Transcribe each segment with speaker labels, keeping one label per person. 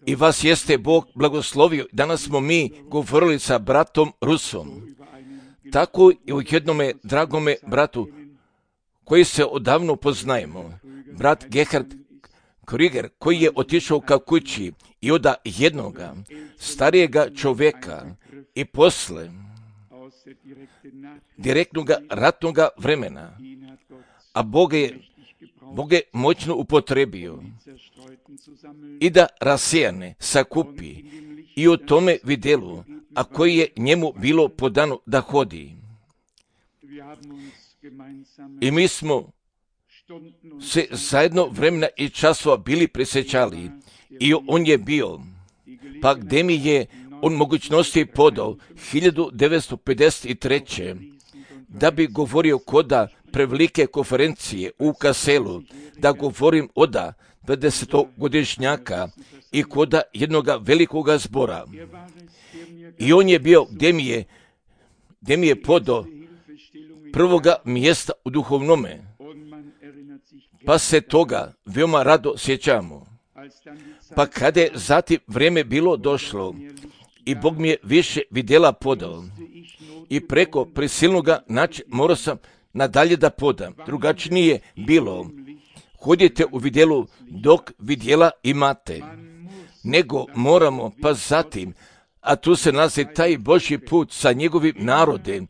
Speaker 1: I vas jeste Bog blagoslovio. Danas smo mi govorili sa bratom Rusom. Tako i u jednome dragome bratu koji se odavno poznajemo. Brat Gerhard Krüger koji je otišao ka kući i oda jednoga starijega čovjeka i posle direktnog ratnog vremena, a Bog je moćno upotrebio i da rasijane sakupi i o tome vidjelu, a koji je njemu bilo podano da hodi. I mi smo se zajedno vremena i časova bili prisjećali i on je bio, pa gdje mi je on mogućnosti podao 1953. da bi govorio koda prevelike konferencije u Kaselu, da govorim oda 20-godišnjaka i koda jednoga velikoga zbora. I on je bio gdje mi je podao prvoga mjesta u duhovnome, pa se toga veoma rado sjećamo. Pa kada je zatim vrijeme bilo došlo i Bog mi je više vidjela podao i preko prisilnoga načina morao sam nadalje da podam. Drugačije je bilo. Hodite u vidjelu dok vidjela imate. Nego moramo, pa zatim, a tu se nalazi taj Božji put sa njegovim narodem,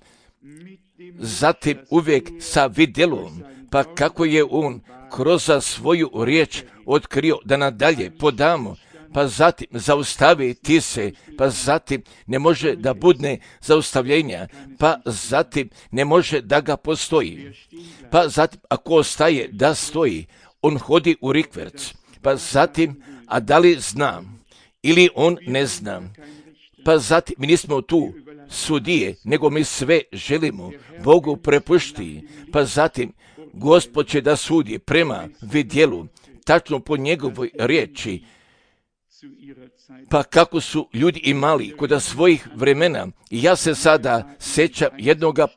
Speaker 1: zatim uvijek sa vidjelom, pa kako je on kroz svoju riječ otkrio da nadalje podamo, pa zatim zaustaviti se, pa zatim ne može da budne zaustavljenja, pa zatim ne može da ga postoji, pa zatim ako ostaje da stoji, on hodi u rikverc, pa zatim, a da li znam ili on ne zna, pa zatim mi nismo tu sudije, nego mi sve želimo Bogu prepušti, pa zatim Gospod će da sudi prema vidjelu, tačno po njegovoj riječi, pa kako su ljudi imali kod svojih vremena. I ja se sada sjećam jednoga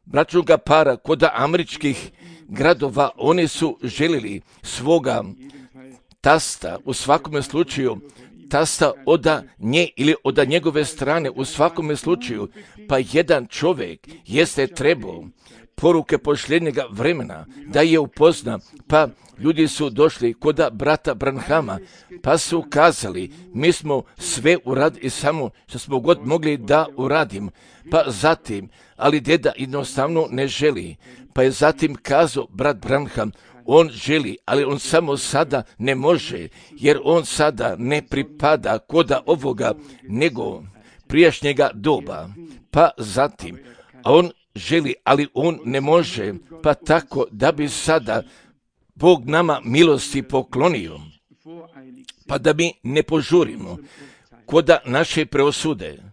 Speaker 1: bračnoga para kod američkih gradova, oni su željeli svoga tasta, u svakome slučaju tasta oda nje ili oda njegove strane, u svakome slučaju, pa jedan čovjek jeste trebao poruke posljednjega vremena da je upozna, pa ljudi su došli kod brata Branhama, pa su kazali, mi smo sve uradili samo što smo god mogli da uradim, pa zatim, ali deda jednostavno ne želi, pa je zatim kazao brat Branham, on želi, ali on samo sada ne može, jer on sada ne pripada koda ovoga, nego prijašnjega doba, pa zatim, a on želi, ali on ne može, pa tako da bi sada Bog nama milosti poklonio, pa da mi ne požurimo koda naše preosude.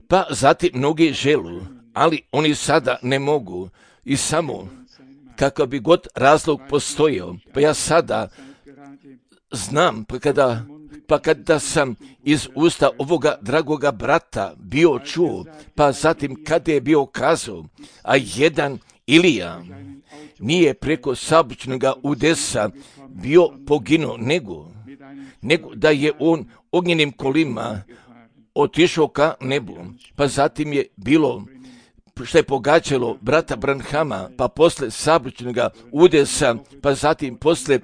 Speaker 1: Pa zatim mnogi želu, ali oni sada ne mogu i samo kakav bi god razlog postojao, pa ja sada znam, pa kada sam iz usta ovoga dragoga brata bio čuo, pa zatim kada je bio kazao, a jedan Ilija nije preko saobraćajnog udesa bio poginuo, nego da je on ognjenim kolima otišao ka nebu, pa zatim je bilo što je pogađalo brata Branhama, pa posle saobraćajnog udesa, pa zatim posle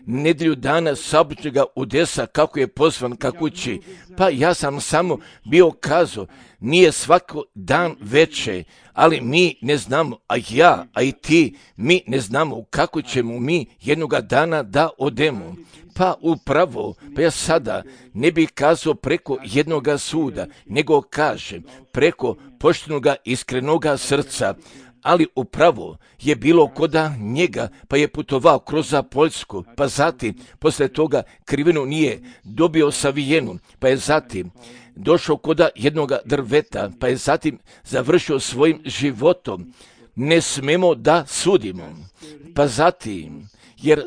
Speaker 1: nedjelju dana saobraćajnog udesa kako je pozvan ka kući, pa ja sam samo bio kazao, nije svako dan veće, ali mi ne znamo, a ja, a i ti, mi ne znamo kako ćemo mi jednoga dana da odemo. Pa upravo, pa ja sada ne bih kazao preko jednoga suda, nego kažem preko poštenoga iskrenoga srca, ali upravo je bilo koda njega, pa je putovao kroz Poljsku, pa zatim, posle toga krivinu nije dobio savijenu, pa je zatim došao koda jednoga drveta, pa je zatim završio svojim životom. Ne smemo da sudimo, pa zatim, jer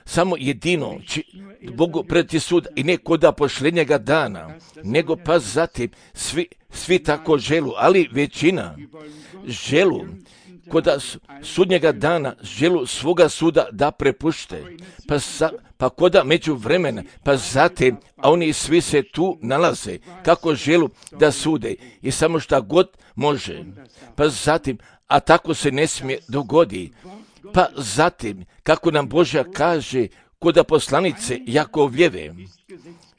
Speaker 1: samo jedino Bogu predati sud i ne koda posljednjega dana, nego pa zatim svi tako želu, ali većina želu koda sudnjega dana želu svoga suda da prepušte, pa koda među vremena, pa zatim, a oni svi se tu nalaze, kako želu da sude i samo šta god može, pa zatim, a tako se ne smije dogodi, pa zatim, kako nam Božja kaže, koda poslanice Jakovljeve,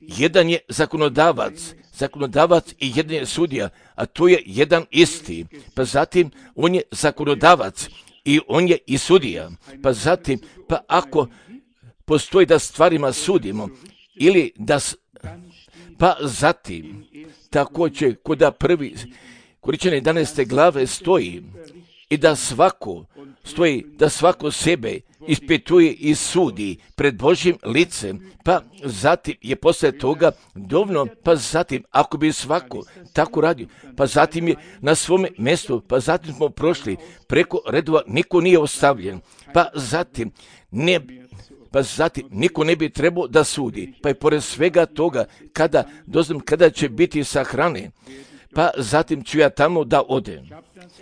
Speaker 1: jedan je zakonodavac i jedan je sudija, a to je jedan isti. Pa zatim, on je zakonodavac i on je i sudija. Pa zatim, pa ako postoji da stvarima sudimo, ili da, pa zatim, također koda prvi Korinčane 11. glave stoji i da svako sebe ispituje i sudi pred Božjim licem, pa zatim je poslije toga dovoljno, pa zatim ako bi svako tako radio, pa zatim je na svome mjestu, pa zatim smo prošli preko redova, niko nije ostavljen, pa zatim niko ne bi trebao da sudi, pa i pored svega toga, kada doznam kada će biti sahrane, pa zatim ću ja tamo da odem.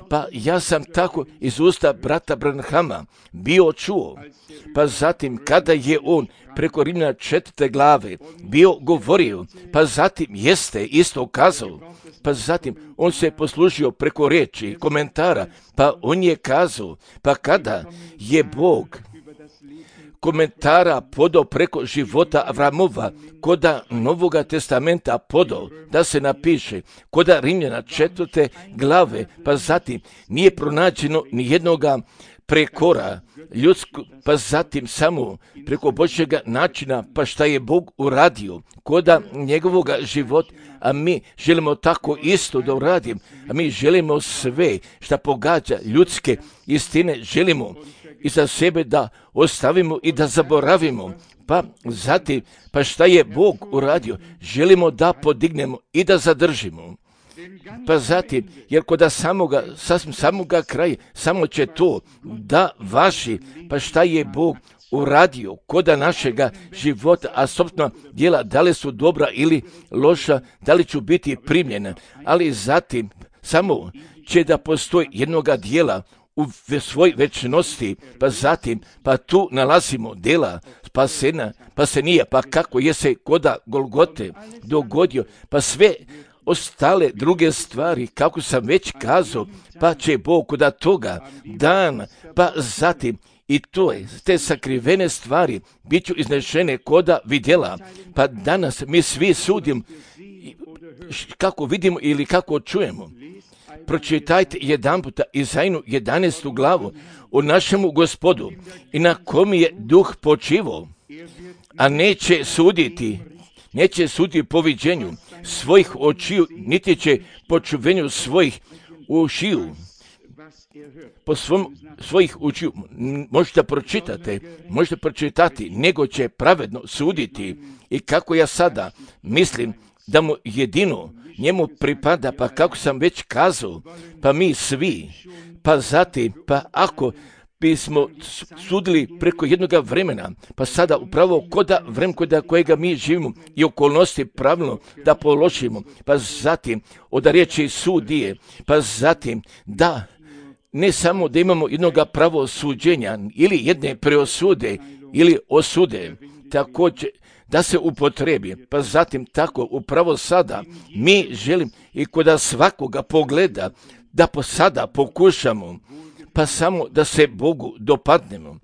Speaker 1: Pa ja sam tako iz usta brata Branhama bio čuo, pa zatim kada je on preko Rimljana 4. glave bio govorio, pa zatim jeste isto kazao, pa zatim on se poslužio preko riječi, komentara, pa on je kazao, pa kada je Bog komentara podao preko života Avramova, koda Novoga testamenta podao da se napiše, koda Rimljana 4. glave, pa zatim nije pronađeno ni jednoga prekora ljudsku, pa zatim samo preko Božjega načina, pa šta je Bog uradio koda njegovoga života, a mi želimo tako isto da uradim, a mi želimo sve šta pogađa ljudske istine, želimo i za sebe da ostavimo i da zaboravimo, pa zatim, pa šta je Bog uradio, želimo da podignemo i da zadržimo. Pa zatim, jer kod samoga kraja, samo će to da važi, pa šta je Bog uradio koda našega života, a sobstvena djela, da li su dobra ili loša, da li ću biti primljena, ali zatim, samo će da postoji jednoga djela u svoj večnosti, pa zatim, pa tu nalazimo djela spasenija, pa kako je se koda Golgote dogodio, pa sve ostale druge stvari, kako sam već kazao, pa će Bog koda toga dana, pa zatim i to je, te sakrivene stvari bit ću iznešene koda vidjela, pa danas mi svi sudimo kako vidimo ili kako čujemo. Pročitajte jedan puta Izajnu 11. glavu o našemu Gospodu i na kom je duh počivao, a neće suditi po viđenju svojih očiju, niti će po čuvenju svojih ušiju, po svojih učiju. Možete pročitati, nego će pravedno suditi. I kako ja sada mislim da mu jedino njemu pripada, pa kako sam već kazao, pa mi svi, pa zatim, pa ako bismo sudili preko jednoga vremena, pa sada upravo koda vremena koda kojega mi živimo i okolnosti pravilno da položimo, pa zatim od riječi sudije, pa zatim da ne samo da imamo jednoga pravosuđenja ili jedne preosude ili osude, također da se upotrebi, pa zatim tako upravo sada mi želim i koda svakoga pogleda da sada pokušamo, pa samo da se Bogu dopadnemo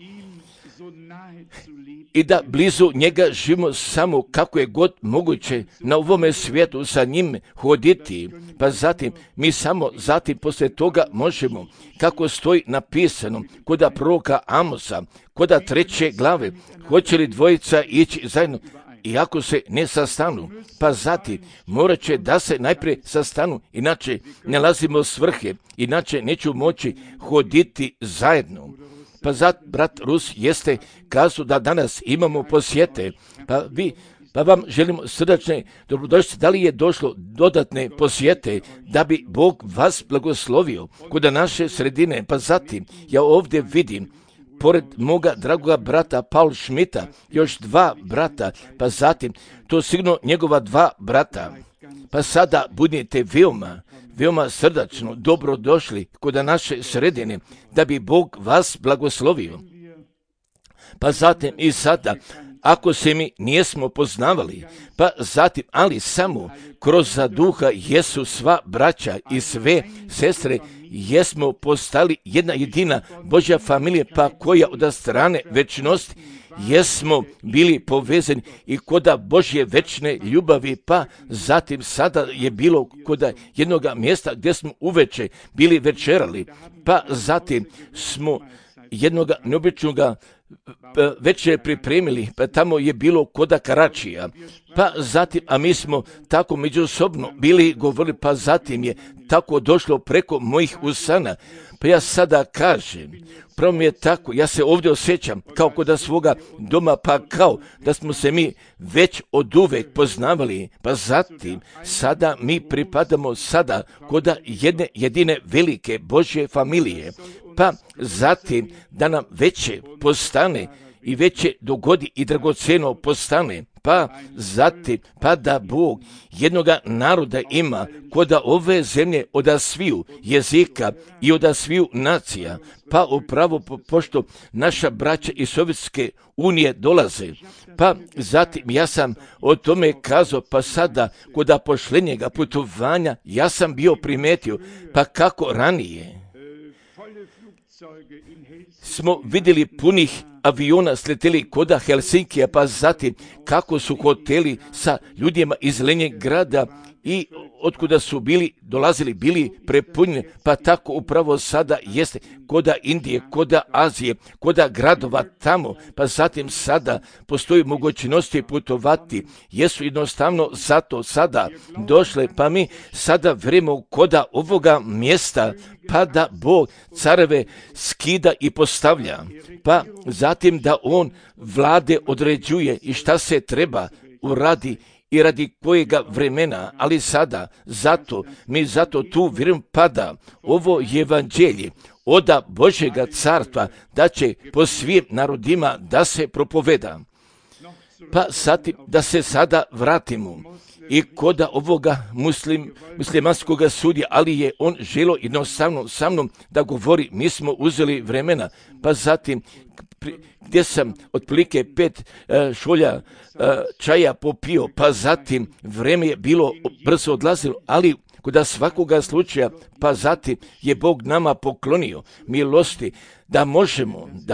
Speaker 1: i da blizu njega živimo samo kako je god moguće na ovome svijetu sa njim hoditi, pa zatim mi samo zatim poslije toga možemo, kako stoji napisano koda proroka Amosa, koda 3. glave, hoće li dvojica ići zajedno, iako se ne sastanu, pa zatim morat će da se najprije sastanu, inače ne nalazimo svrhe, inače neću moći hoditi zajedno. Pa brat Rus jeste kazao da danas imamo posjete, pa vam želimo srdačne dobrodošlice. Da li je došlo dodatne posjete da bi Bog vas blagoslovio kod naše sredine? Pa zatim ja ovdje vidim pored moga dragoga brata Paul Schmidta još 2 brata, pa zatim to sigurno njegova 2 brata. Pa sada budite veoma srdačno dobrodošli kod naše sredine, da bi Bog vas blagoslovio. Pa zatim i sada, ako se mi nijesmo poznavali, pa zatim, ali samo kroz duha jesu sva braća i sve sestre, jesmo postali jedna jedina Božja familija, pa koja od strane večnosti jesmo bili povezani i koda Božje večne ljubavi, pa zatim sada je bilo koda jednoga mjesta gdje smo uveče bili večerali, pa zatim smo jednoga neobičnoga večer pripremili, pa tamo je bilo koda Karačija, pa zatim, a mi smo tako međusobno bili govorili, pa zatim je tako došlo preko mojih usana. Pa ja sada kažem, pravo mi je tako, ja se ovdje osjećam kao kod svoga doma, pa kao da smo se mi već od uvek poznavali, pa zatim sada mi pripadamo sada kod jedne jedine velike Božje familije, pa zatim da nam veće postane i veće dogodi i dragocjeno postane, pa zatim, pa da Bog jednoga naroda ima koda ove zemlje od sviju jezika i od sviju nacija, pa upravo pošto naša braća iz Sovjetske unije dolaze, pa zatim ja sam o tome kazao, pa sada kod pošlenjega putovanja ja sam bio primetio, pa kako ranije smo vidjeli punih aviona sleteli koda Helsinkija, pa zatim kako su hoteli sa ljudima iz Leningrada i otkuda su dolazili bili prepunjeni, pa tako upravo sada jeste koda Indije, koda Azije, koda gradova tamo, pa zatim sada postoji mogućnosti putovati, jesu jednostavno zato sada došle, pa mi sada vremo koda ovoga mjesta, pa da Bog careve skida i postavlja, pa zatim da On vlade određuje i šta se treba uradi i radi kojega vremena, ali sada mi zato tu vjerujem pada ovo evanđelje oda Božjega carstva da će po svim narodima da se propoveda. Pa zatim da se sada vratimo i koda ovoga muslimanskog sudija, ali je on želo jednostavno sa mnom da govori, mi smo uzeli vremena, pa zatim gdje sam otprilike 5 šolja čaja popio, pa zatim vreme je bilo brzo odlazilo, ali kod svakoga slučaja, pa zatim je Bog nama poklonio milosti da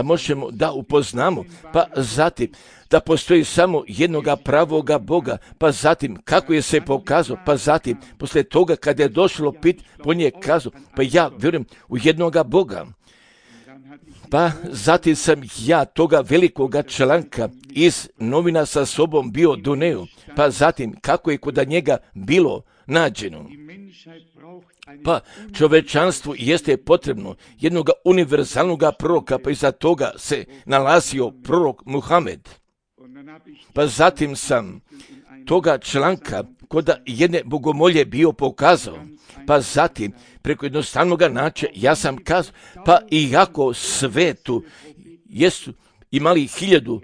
Speaker 1: možemo da upoznamo, pa zatim da postoji samo jednoga pravoga Boga, pa zatim kako je se pokazao, pa zatim poslije toga kada je došlo pit, on je kazao, pa ja vjerujem u jednoga Boga. Pa zatim sam ja toga velikoga članka iz novina sa sobom bio doneo, pa zatim kako je kod njega bilo nađeno. Pa čovečanstvu jeste potrebno jednog univerzalnog proroka, pa iza toga se nalazio prorok Muhamed. Pa zatim sam toga članka kod jedne bogomolje bio pokazao, pa zatim preko jednostavnog načina ja sam kazao, pa iako svetu jesu imali 1000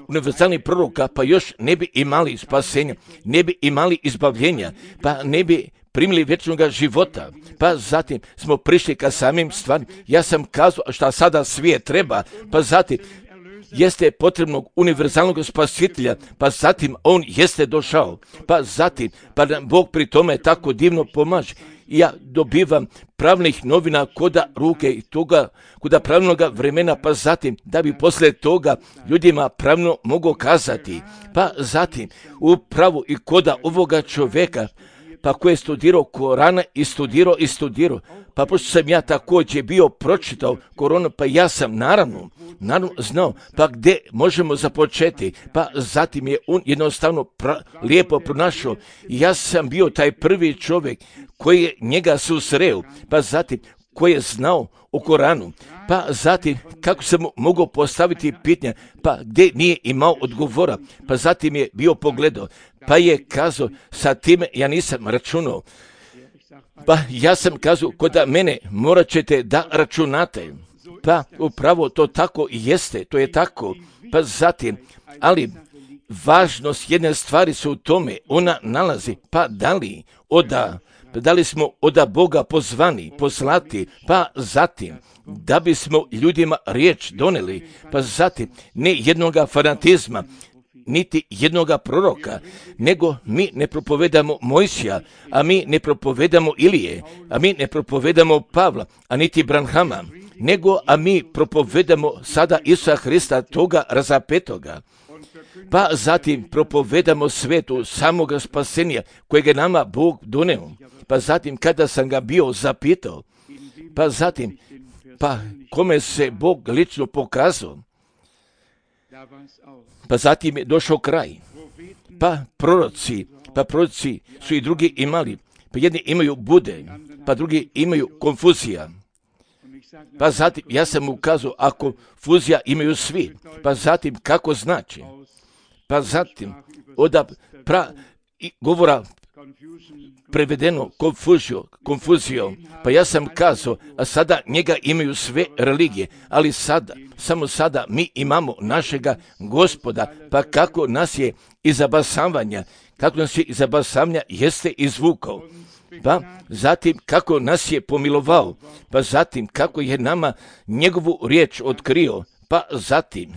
Speaker 1: univerzalnih proroka, pa još ne bi imali spasenja, ne bi imali izbavljenja, pa ne bi primili vječnog života, pa zatim smo prišli ka samim stvarima. Ja sam kazao šta sada svijet treba, pa zatim jeste potrebnog univerzalnog spasitelja, pa zatim on jeste došao, pa zatim, pa nam Bog pri tome tako divno pomaže. Ja dobivam pravnih novina koda ruke i toga, koda pravnog vremena, pa zatim da bi poslije toga ljudima pravno mogu kazati, pa zatim upravo i koda ovoga čovjeka, pa koji je studirao Korana i studirao, pa pošto sam ja također bio pročitao Koranu, pa ja sam naravno znao, pa gdje možemo započeti, pa zatim je on jednostavno lijepo pronašao. Ja sam bio taj prvi čovjek koji je njega susreo, pa zatim koji je znao o Koranu, pa zatim kako sam mogao postaviti pitanje, pa gdje nije imao odgovora, pa zatim je bio pogledao, pa je kazao, sa time ja nisam računao, pa ja sam kazao, kod mene morat ćete da računate, pa upravo to tako i jeste, to je tako, pa zatim, ali važnost jedne stvari su u tome, ona nalazi, pa da li da li smo od Boga pozvani, poslati, pa zatim da bismo ljudima riječ doneli, pa zatim ne jednoga fanatizma, niti jednoga proroka, nego mi ne propovedamo Mojsija, a mi ne propovedamo Ilije, a mi ne propovedamo Pavla, a niti Branhama, nego a mi propovedamo sada Isusa Hrista, toga razapetoga. Pa zatim propovedamo svetu samoga spasenja kojeg je nama Bog doneo. Pa zatim kada sam ga bio zapitao, pa zatim kome se Bog lično pokazao, pa zatim je došao kraj. Pa proroci su i drugi imali. Pa jedni imaju bude, pa drugi imaju konfuzija. Pa zatim ja sam ukazao, a konfuzija imaju svi. Pa zatim kako znači? Pa zatim od govora prevedeno konfuzijom. Pa ja sam kazao, a sada njega imaju sve religije, ali samo sada mi imamo našega Gospoda, pa kako nas je iz zabasavanja jeste izvukao. Pa zatim kako nas je pomilovao, pa zatim kako je nama njegovu riječ otkrio, pa zatim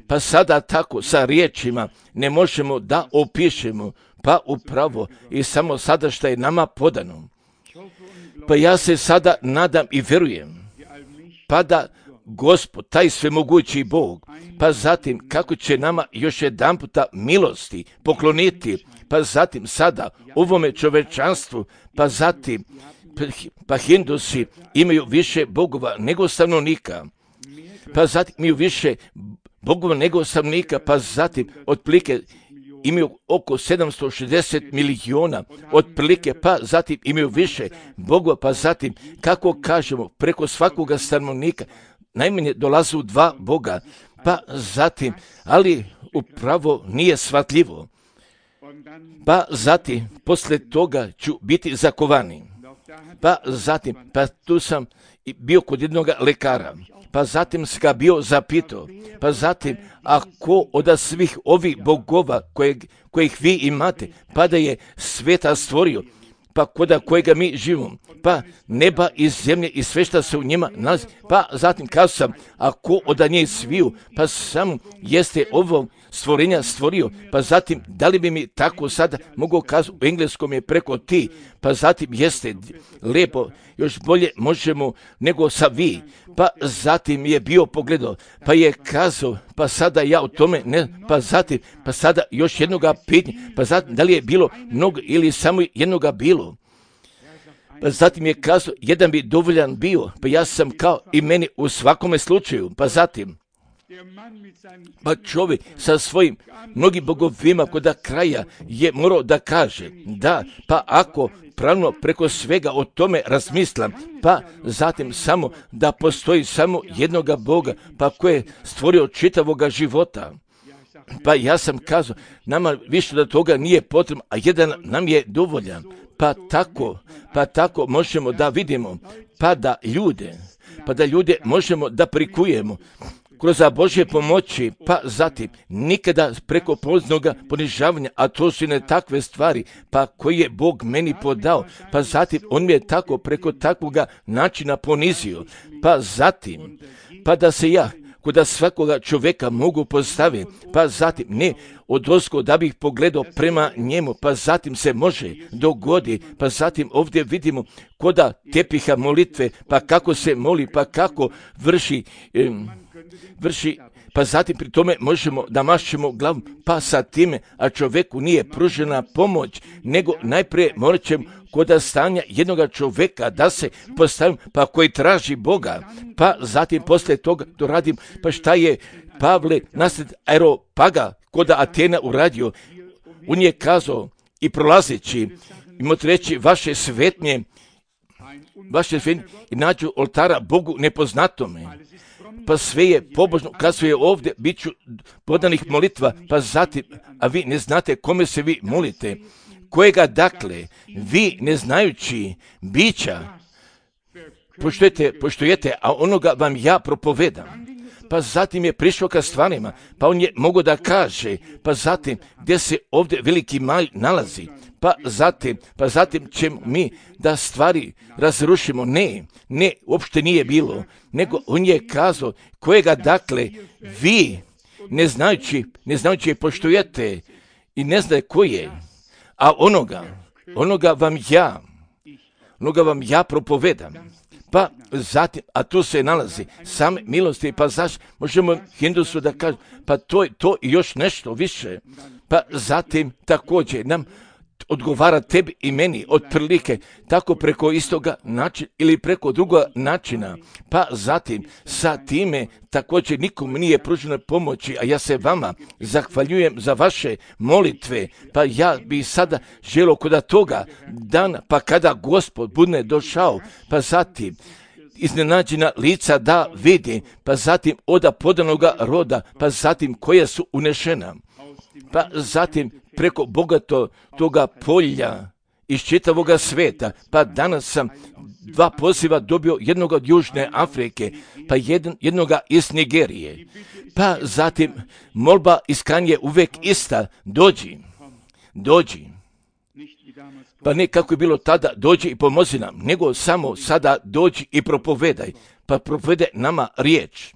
Speaker 1: pa sada tako sa riječima ne možemo da opišemo, pa upravo i samo sada što je nama podano. Pa ja se sada nadam i vjerujem, pa da Gospod, taj svemogući Bog, pa zatim kako će nama još jedan puta milosti pokloniti, pa zatim sada ovome čovečanstvu, pa zatim pa Hindusi imaju više bogova nego stanovnika, pa zatim imaju više bogova nego stanovnika, pa zatim otprilike imaju oko 760 milijuna otprilike, pa zatim imaju više bogova, pa zatim kako kažemo preko svakoga stanovnika najmanje dolaze 2 boga, pa zatim, ali upravo nije shvatljivo. Pa zatim, poslije toga ću biti zakovani. Pa zatim, pa tu sam bio kod jednog lekara. Pa zatim sam ga bio zapitao. Pa zatim, ako od svih ovih bogova kojih vi imate, pa da je sveta stvorio, pa koda kojega mi živimo, pa neba i zemlje i sve što se u njima nalazi, pa zatim kazao sam, ako od njih sviju, pa samo jeste ovo stvorenja stvorio, pa zatim da li bi mi tako sada mogao kazati, u engleskom je preko ti, pa zatim jeste lijepo, još bolje možemo nego sa vi, pa zatim je bio pogledao, pa je kazao, pa sada ja o tome ne, pa zatim, pa sada još jednoga pitanja, pa zatim da li je bilo mnogo ili samo jednoga bilo. Pa zatim je kazao, jedan bi dovoljan bio, pa ja sam kao i meni u svakome slučaju, pa zatim, pa čovjek sa svojim mnogim bogovima kod kraja je morao da kaže, da, pa ako pravno preko svega o tome razmislam, pa zatim samo da postoji samo jednoga Boga, pa koji je stvorio čitavoga života. Pa ja sam kazao, nama više da toga nije potrebno, a jedan nam je dovoljan. Pa tako možemo da vidimo, pa da ljude možemo da prikujemo kroz Božje pomoći, pa zatim nikada preko poznoga ponižavanja, a to su ne takve stvari, pa koji je Bog meni podao, pa zatim on mi je tako preko takvoga načina ponizio, pa zatim, pa da se ja kod svakoga čovjeka mogu postaviti, pa zatim ne odozgo da bih pogledao prema njemu, pa zatim se može dogodi, pa zatim ovdje vidimo koda tepiha molitve, pa kako se moli, pa kako vrši, pa zatim pri tome možemo da mašćemo glavu, pa sa time, a čovjeku nije pružena pomoć, nego najprije morat ćemo kod stanja jednoga čovjeka da se postavim, pa koji traži Boga, pa zatim poslije toga to radim, pa šta je Pavle nasled Areopaga kod Atena uradio, on je kazao i prolazeći, imate reći vaše svetnje i nađu oltara Bogu nepoznatome. Pa sve je pobožno, kad su je ovdje, bit ću podanih molitva, pa zatim, a vi ne znate kome se vi molite, kojega dakle, vi ne znajući bića, poštujete, a onoga vam ja propovedam.
Speaker 2: pa zatim je prišao ka stvarima, pa on je mogao da kaže, pa zatim gdje se ovdje veliki malj nalazi, pa zatim ćemo mi da stvari razrušimo. Ne, uopšte nije bilo, nego on je kazao kojega dakle vi ne znajući poštujete i ne znate ko je, a onoga vam ja propovedam. Pa zatim, a tu se nalazi same milosti, pa zašto možemo Hindusu da kažemo, pa to i još nešto više. Pa zatim također nam odgovara tebi i meni otprilike tako preko istoga načina ili preko drugoga načina. Pa zatim sa time također nikom nije pružena pomoći, a ja se vama zahvaljujem za vaše molitve. Pa ja bi sada želio kod toga dana, pa kada Gospod bude došao, pa zatim iznenađena lica da vidi, pa zatim oda podanoga roda, pa zatim koja su unešena, pa zatim preko bogato toga polja iz čitavoga sveta. Pa danas sam 2 poziva dobio, jednog od Južne Afrike, pa jednoga iz Nigerije. Pa zatim molba iskanje uvek ista, dođi. Pa ne kako je bilo tada, dođi i pomozi nam, nego samo sada dođi i propovedaj, pa propovede nama riječ.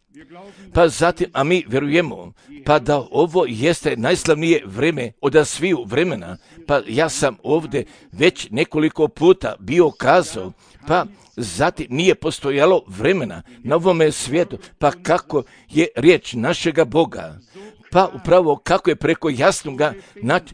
Speaker 2: Pa zatim, a mi vjerujemo, pa da ovo jeste najslavnije vreme od sviju vremena, pa ja sam ovdje već nekoliko puta bio kazao, pa zatim nije postojalo vremena na ovome svijetu, pa kako je riječ našega Boga, pa upravo kako je preko jasnoga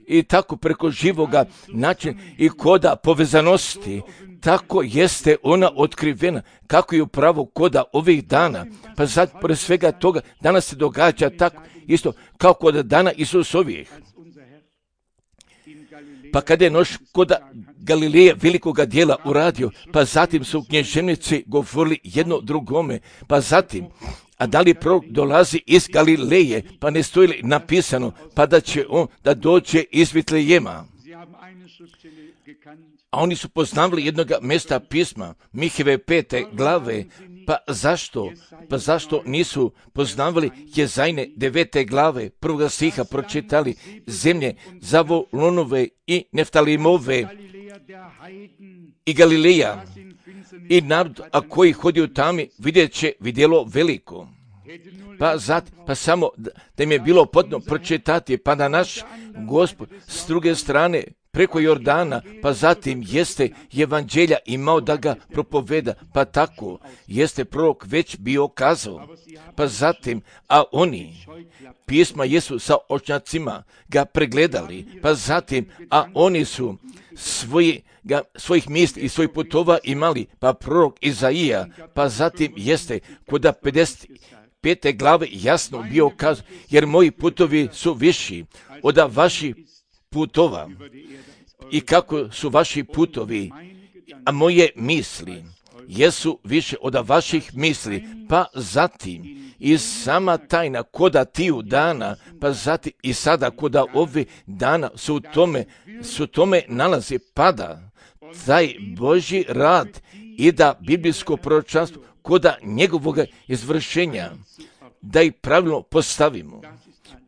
Speaker 2: i tako preko živoga načina i koda povezanosti, tako jeste ona otkrivena, kako je upravo koda ovih dana. Pa sad, pored svega toga, danas se događa tako isto kao kod dana Isusovih. Pa kada je noć koda Galileja velikoga dijela uradio, pa zatim su knježevnici govorili jedno drugome, pa zatim, a da li prorok dolazi iz Galileje, pa ne stoji li napisano, pa da će on da dođe iz Vitlejema. A oni su poznavali jednog mjesta pisma, Miheve 5. glave, pa zašto nisu poznavali Jezajne 9. glave, 1. stiha pročitali, zemlje Zavolonove i Neftalimove i Galileja i narod, a koji hodi u tami, vidjelo veliko. Pa samo da im je bilo potrebno pročitati, pa da naš Gospod s druge strane preko Jordana, pa zatim jeste evanđelja imao da ga propoveda, pa tako jeste prorok već bio kazao. Pa zatim, a oni pisma jesu sa očnjacima ga pregledali, pa zatim, a oni su svojih misli i svojih putova imali, pa prorok Izaija, pa zatim jeste kod 55. glave jasno bio kazao, jer moji putovi su viši od vaših putova i kako su vaši putovi, a moje misli jesu više od vaših misli, pa zatim i sama tajna koda tiju dana, pa zatim i sada koda ove dana su tome nalazi, pada taj Božji rad i da biblijsko proročanstvo koda njegovog izvršenja, da ih pravilno postavimo.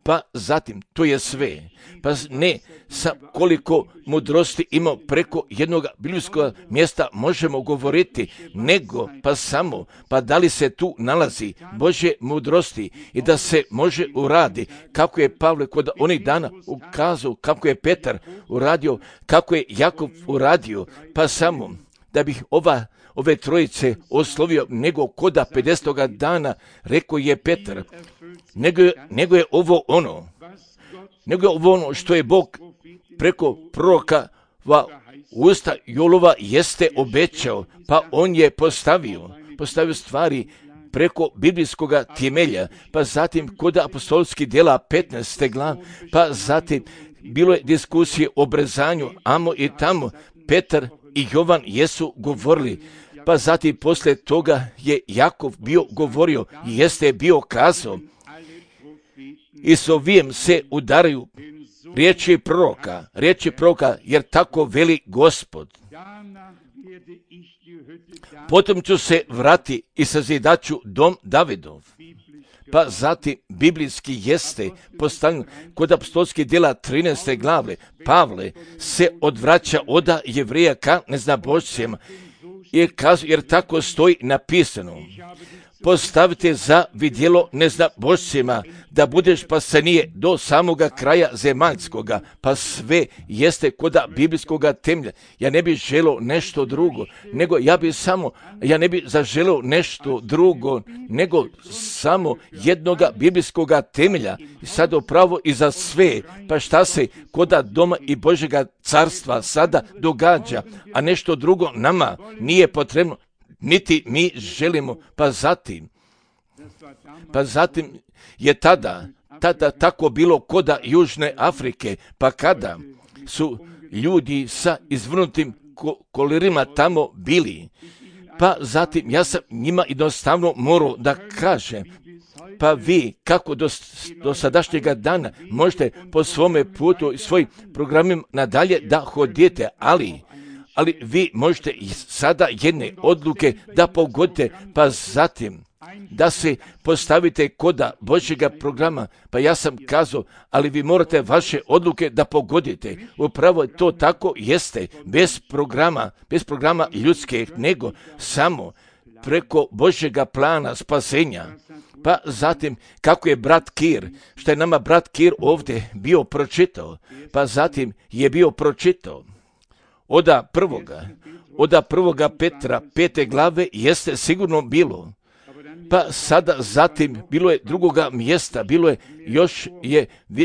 Speaker 2: Pa zatim, to je sve. Pa ne sa koliko mudrosti ima preko jednog biblijskog mjesta možemo govoriti, nego pa samo, pa da li se tu nalazi Božje mudrosti i da se može uradi, kako je Pavle kod onih dana ukazao, kako je Petar uradio, kako je Jakov uradio, pa samo da bih ove trojice oslovio, nego koda 50. dana, rekao je Petar, nego je ovo ono što je Bog preko proroka usta Jolova jeste obećao, pa on je postavio stvari preko biblijskog temelja, pa zatim kod apostolskih djela 15. glave, pa zatim bilo je diskusije o obrezanju, amo i tamo, Petar i Jovan jesu govorili, pa zatim poslije toga je Jakov bio govorio i jeste bio kazao, i s ovijem se udaraju riječi proroka, jer tako veli Gospod. Potom ću se vrati i sazidat ću dom Davidov. pa zatim biblijski jeste postavljeno kod apostolskih djela 13. glave. Pavle se odvraća od Jevreja ka neznabošcima, jer tako stoji napisano. Postavite za vidjelo neznabošcima, da budeš spasenije do samoga kraja zemaljskoga, pa sve jeste koda biblijskoga temelja. Ja ne bih želeo nešto drugo, nego ja ne bih zaželeo nešto drugo, nego samo jednoga biblijskoga temelja. I sad upravo i za sve, pa šta se koda doma i Božjega carstva sada događa, a nešto drugo nama nije potrebno, niti mi želimo, pa zatim je tada tako bilo koda Južne Afrike, pa kada su ljudi sa izvrnutim kolerima tamo bili, pa zatim ja sam njima jednostavno morao da kažem, pa vi kako do sadašnjega dana možete po svome putu i svojim programima nadalje da hodite, ali vi možete sada jedne odluke da pogodite, pa zatim da se postavite koda Božjega programa. Pa ja sam kazao, ali vi morate vaše odluke da pogodite. Upravo to tako jeste, bez programa ljudskih, nego samo preko Božjega plana spasenja. Pa zatim, kako je brat Kir, što je nama brat Kir ovdje bio pročitao, pa zatim je bio pročitao od prvoga Petra 5. glave jeste sigurno bilo. Pa sada zatim bilo je drugoga mjesta,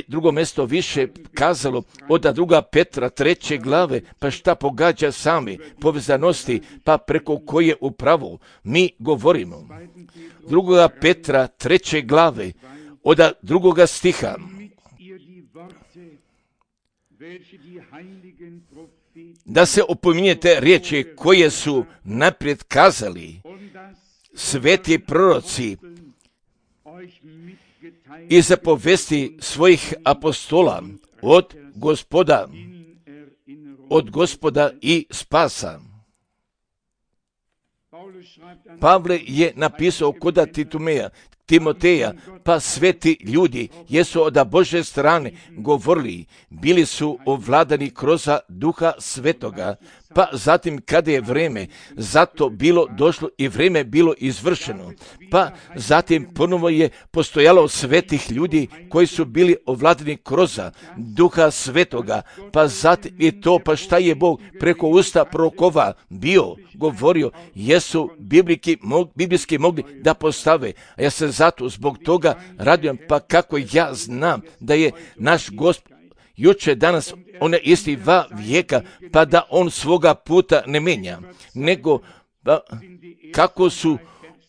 Speaker 2: drugo mjesto više kazalo od 2. Petra 3. glave, pa šta pogađa sami povezanosti, pa preko koje upravo mi govorimo. 2. Petra 3. glave od 2. stiha. Da se opominjete riječi koje su naprijed kazali sveti proroci i zapovesti svojih apostola od Gospoda i spasa. Pavle je napisao koda Timoteja, pa sveti ljudi jesu od Božje strane govorili, bili su ovladani kroz Duha Svetoga, pa zatim kada je vreme zato bilo došlo i vreme bilo izvršeno, pa zatim ponovo je postojalo svetih ljudi koji su bili ovladani kroz Duha Svetoga, pa zatim i to, pa šta je Bog preko usta prorokova govorio, jesu biblijski mogli da postave. A ja se zato zbog toga radujem, pa kako ja znam da je naš Gospod juče, danas, on je isti va vijeka, pa da on svoga puta ne menja, nego kako su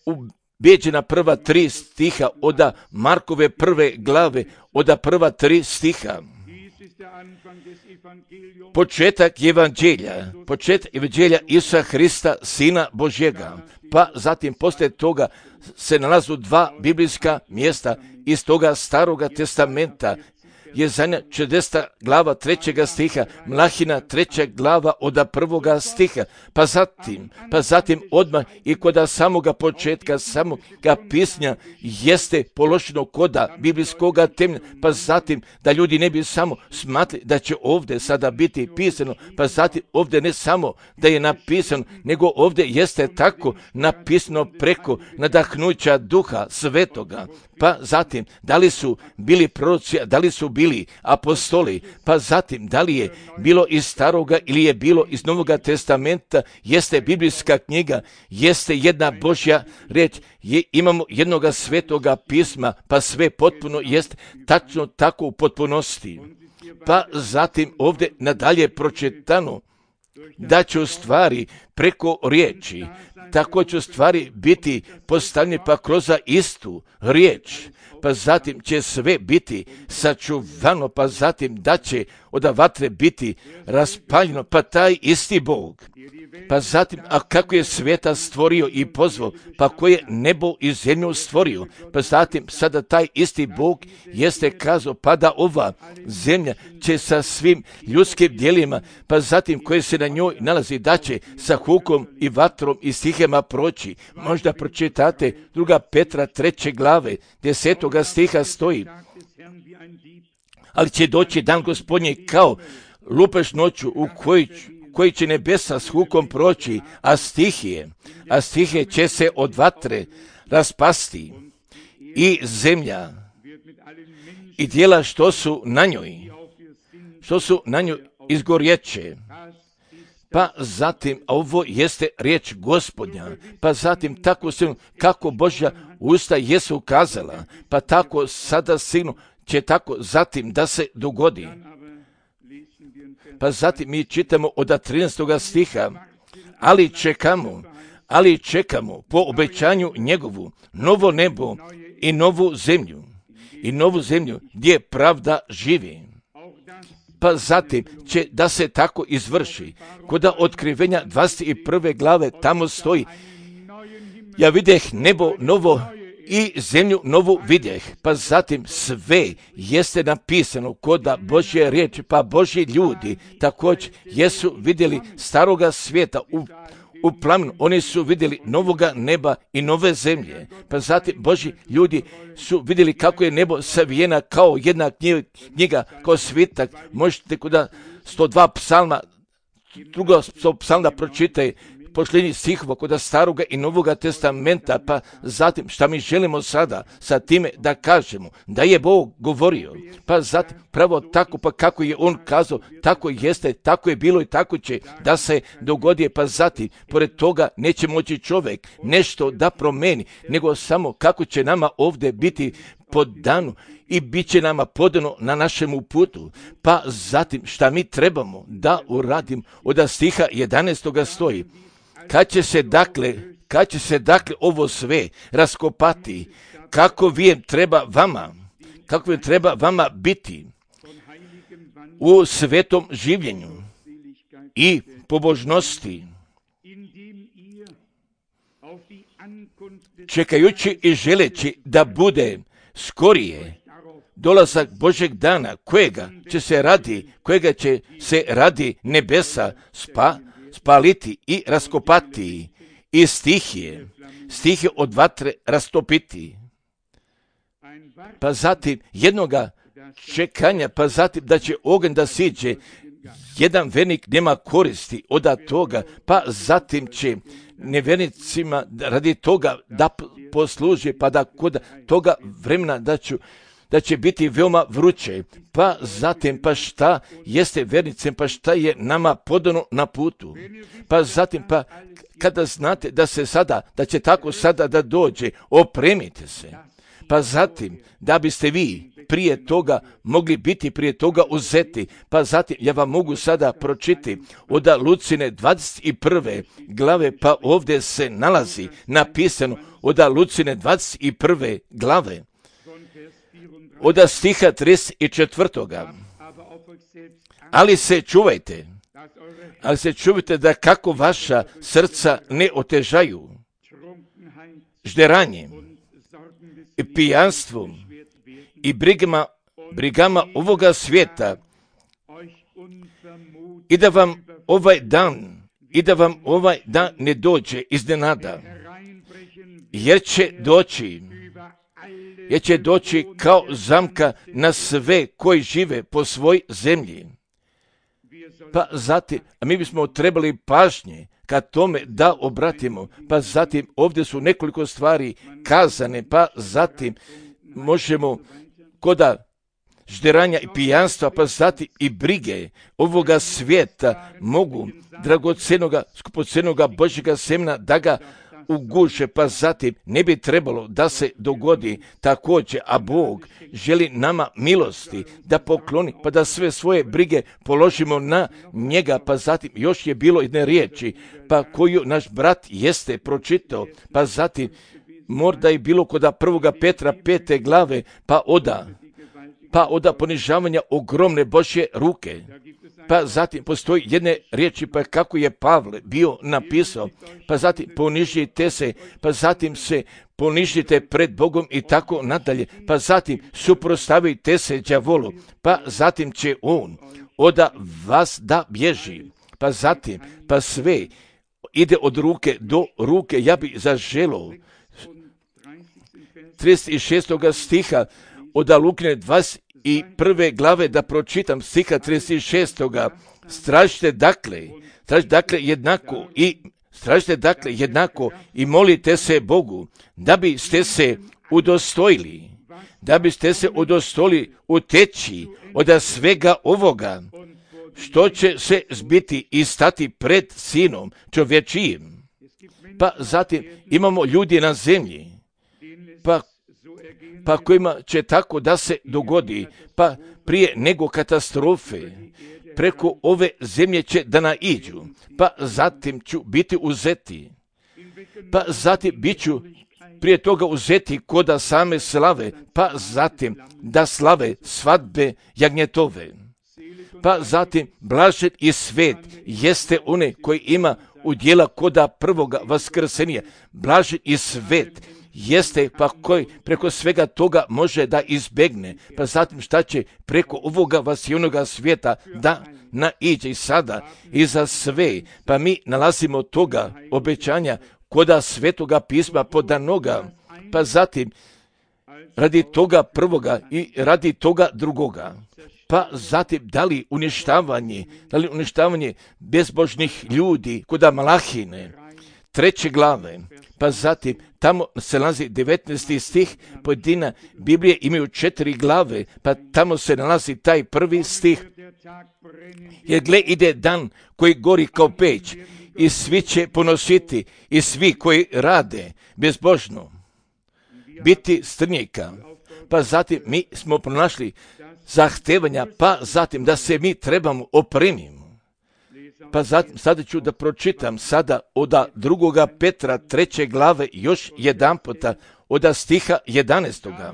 Speaker 2: ubeđena prva 3 stiha od Markove 1. glave, od prva 3 stiha. Početak evanđelja Isusa Hrista, Sina Božjega, pa zatim poslije toga se nalazu 2 biblijska mjesta iz toga Staroga testamenta, Jezanja 40. glava 3. stiha, Mlahina 3. glava od 1. stiha, pa zatim odmah i kod samoga početka, samoga pisanja jeste položeno koda biblijskoga temelja, pa zatim da ljudi ne bi samo smatrali da će ovdje sada biti pisano, pa zatim ovdje ne samo da je napisano, nego ovdje jeste tako napisano preko nadahnuća Duha Svetoga, pa zatim da li su bili proroci, da li su bili apostoli, pa zatim da li je bilo iz Staroga ili je bilo iz Novoga testamenta, jeste biblijska knjiga, jeste jedna Božja riječ, imamo jednoga svetoga pisma, pa sve potpuno jest tačno tako u potpunosti. Pa zatim ovdje nadalje pročitano da će u stvari preko riječi, tako će u stvari biti postavljeni pa kroz istu riječ, pa zatim će sve biti sačuvano, pa zatim da će od vatre biti raspaljeno, pa taj isti Bog. Pa zatim, a kako je svijeta stvorio i pozvao, pa ko je nebo i zemlju stvorio, pa zatim sada taj isti Bog jeste kazao, pa da ova zemlja će sa svim ljudskim djelima, pa zatim koje se na njoj nalazi, da će sa hukom i vatrom i stihom stihema proći. Možda pročitate 2. Petra 3. glave 10. stiha stoji. Ali će doći dan Gospodnji kao lupež noću u koji će nebesa s hukom proći, a stihije će se od vatre raspasti i zemlja i dijela što su na njoj izgorjeće. Pa zatim, ovo jeste riječ Gospodnja, pa zatim tako silno kako Božja usta jesu kazala, pa tako sada silno će tako zatim da se dogodi. Pa zatim mi čitamo od 13. stiha, ali čekamo po obećanju njegovu novo nebo i novu zemlju gdje pravda živi. Pa zatim će da se tako izvrši. Kod otkrivenja 21. glave tamo stoji, ja videh nebo novo i zemlju novu vidjeh. Pa zatim sve jeste napisano kod Božje riječi, pa Božji ljudi također jesu vidjeli staroga svijeta u plamenu, oni su vidjeli novoga neba i nove zemlje. Pa zatim Božji ljudi su vidjeli kako je nebo savijena kao jedna knjiga, kao svitak. Možete kod 102 psalma, drugo psalma pročitaj, pošljenji stihova kod staroga i novoga testamenta, pa zatim šta mi želimo sada sa time da kažemo da je Bog govorio, pa zatim pravo tako, pa kako je On kazao, tako jeste, tako je bilo i tako će da se dogodi, pa zatim pored toga neće moći čovjek nešto da promeni, nego samo kako će nama ovdje biti podano i bit će nama podano na našemu putu. Pa zatim šta mi trebamo da uradimo, od stiha 11. stoji, kad će se dakle ovo sve raskopati, kako vi treba vama biti u svetom življenju i pobožnosti, čekajući i želeći da bude skorije dolazak Božeg dana, kojega će se radi nebesa spaliti i raskopati i stihije od vatre rastopiti. Pa zatim jednoga čekanja, pa zatim da će oganj da siđe, jedan vernik nema koristi od toga, pa zatim će nevernicima radi toga da posluži, pa da kod toga vremena da će biti veoma vruće. Pa zatim, pa šta jeste vernicem, pa šta je nama podano na putu. Pa zatim, pa kada znate da će tako sada da dođe, opremite se. Pa zatim, da biste vi prije toga mogli biti prije toga uzeti. Pa zatim, ja vam mogu sada pročiti od Lucine 21. glave, pa ovdje se nalazi napisano od Lucine 21. glave, od stiha 34. Ali se čuvajte da kako vaša srca ne otežaju žderanjem i pijanstvom i brigama ovoga svijeta, i da vam ovaj dan ne dođe iznenada, jer će doći kao zamka na sve koji žive po svoj zemlji. Pa zatim, a mi bismo trebali pažnje ka tome da obratimo, pa zatim ovdje su nekoliko stvari kazane, pa zatim možemo koda žderanja i pijanstva, pa zatim i brige ovoga svijeta mogu dragocenoga, skupocenoga Božjega semena da ga uguše, pa zatim ne bi trebalo da se dogodi također, a Bog želi nama milosti da pokloni, pa da sve svoje brige položimo na njega. Pa zatim još je bilo jedne riječi, pa koju naš brat jeste pročitao, pa zatim možda je bilo kod 1. Petra 5. glave, pa oda ponižavanja ogromne Božje ruke. Pa zatim postoji jedne riječi, pa kako je Pavle bio napisao, pa zatim ponižite se, pa zatim se ponižite pred Bogom i tako nadalje, pa zatim suprotstavite se đavolu, pa zatim će on od vas da bježi, pa zatim, pa sve ide od ruke do ruke. Ja bi zaželo 36. stiha od Lukine 21. glave da pročitam stiha 36. Stražite dakle jednako i molite se Bogu da biste se udostojili uteći od svega ovoga što će se zbiti i stati pred Sinom čovječijim. Pa zatim imamo ljudi na zemlji, pa kojima će tako da se dogodi, pa prije nego katastrofe preko ove zemlje će da naiđu, pa zatim ću biti uzeti, pa zatim bit ću prije toga uzeti koda same slave, pa zatim da slave svadbe jagnjetove. Pa zatim blažen i svet jeste one koji ima udjela koda prvoga vaskrsenja. Blažen i svet jeste pa koji preko svega toga može da izbegne. Pa zatim šta će preko ovoga vasjonoga svijeta da naiđe i sada i za sve. Pa mi nalazimo toga obećanja koda svetoga pisma podanoga. Pa zatim radi toga prvoga i radi toga drugoga. Pa zatim da li uništavanje bezbožnih ljudi koda Malahine 3. glave, pa zatim tamo se nalazi 19. stih, pojedina Biblije imaju 4 glave, pa tamo se nalazi taj 1. stih. Jer gle ide dan koji gori kao peć i svi će ponositi i svi koji rade bezbožno biti strnjika. Pa zatim mi smo pronašli zahtevanja, pa zatim da se mi trebamo opremimo. Pa zatim sada ću da pročitam sada od 2. Petra 3. glave još jedan puta od stiha 11.